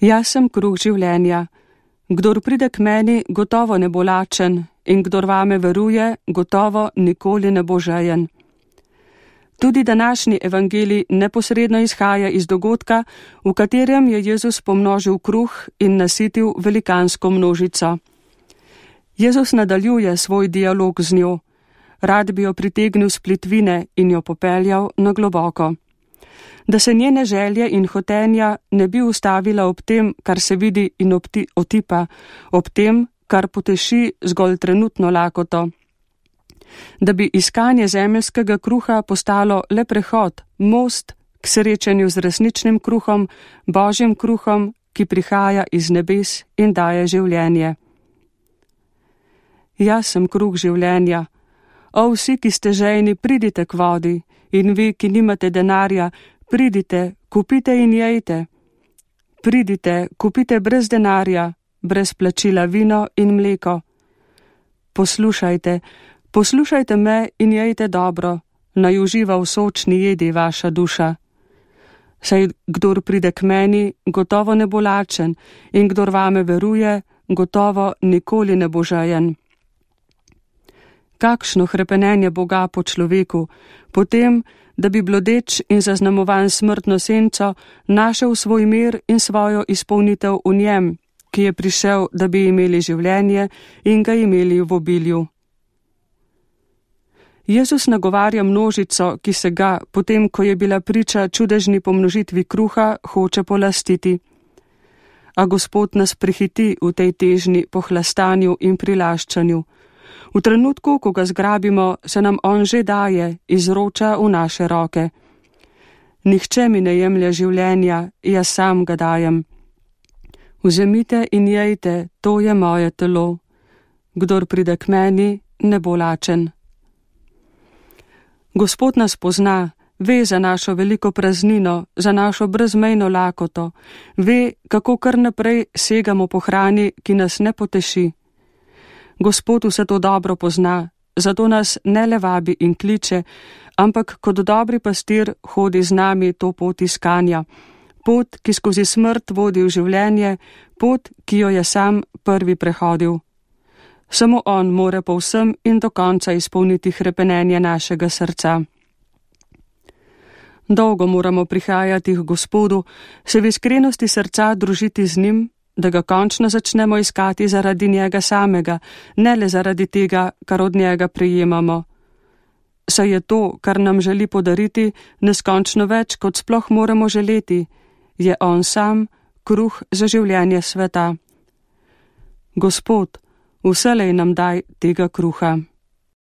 Jaz sem kruh življenja. Kdor pride k meni, gotovo ne bo lačen, in kdor vame veruje, gotovo nikoli ne bo žejen. Tudi današnji evangelij neposredno izhaja iz dogodka, v katerem je Jezus pomnožil kruh in nasitil velikansko množico. Jezus nadaljuje svoj dialog z njo. Rad bi jo pritegnil s plitvine in jo popeljal na globoko. Da se njene želje in hotenja ne bi ustavila ob tem, kar se vidi in otipa, ob tem, kar poteši zgolj trenutno lakoto. Da bi iskanje zemeljskega kruha postalo le prehod, most k srečanju z resničnim kruhom, Božjim kruhom, ki prihaja iz nebes in daje življenje. Jaz sem kruh življenja. O, vsi, ki ste žejni, pridite k vodi, in vi, ki nimate denarja, pridite, kupite in jejte. Pridite, kupite brez denarja, brez plačila vino in mleko. Poslušajte me in jejte dobro, naj uživa v sočni jedi vaša duša. Saj kdor pride k meni, gotovo ne bo lačen, in kdor vame veruje, gotovo nikoli ne bo žejen. Kakšno hrepenenje Boga po človeku, potem, da bi blodeč in zaznamovan smrtno senco našel svoj mir in svojo izpolnitev v njem, ki je prišel, da bi imeli življenje in ga imeli v obilju. Jezus nagovarja množico, ki se ga, potem ko je bila priča čudežni pomnožitvi kruha, hoče polastiti. A Gospod nas prehiti v tej težnji po hlastanju in prilaščanju. V trenutku, ko ga zgrabimo, se nam on že daje, izroča v naše roke. Nihče mi ne jemlje življenja, jaz sam ga dajem. Vzemite in jejte, to je moje telo. Kdor pride k meni, ne bo lačen. Gospod nas pozna, ve za našo veliko praznino, za našo brezmejno lakoto, ve, kako kar naprej segamo po hrani, ki nas ne poteši. Gospod vse to dobro pozna, zato nas ne le vabi in kliče, ampak kot dobri pastir hodi z nami to pot iskanja, pot, ki skozi smrt vodi v življenje, pot, ki jo je sam prvi prehodil. Samo on more povsem in do konca izpolniti hrepenenje našega srca. Dolgo moramo prihajati k Gospodu, se v iskrenosti srca družiti z njim, da ga končno začnemo iskati zaradi njega samega, ne le zaradi tega, kar od njega prejemamo. Saj je to, kar nam želi podariti, neskončno več, kot sploh moramo želeti, je on sam kruh za življenje sveta. Gospod, vselej nam daj tega kruha.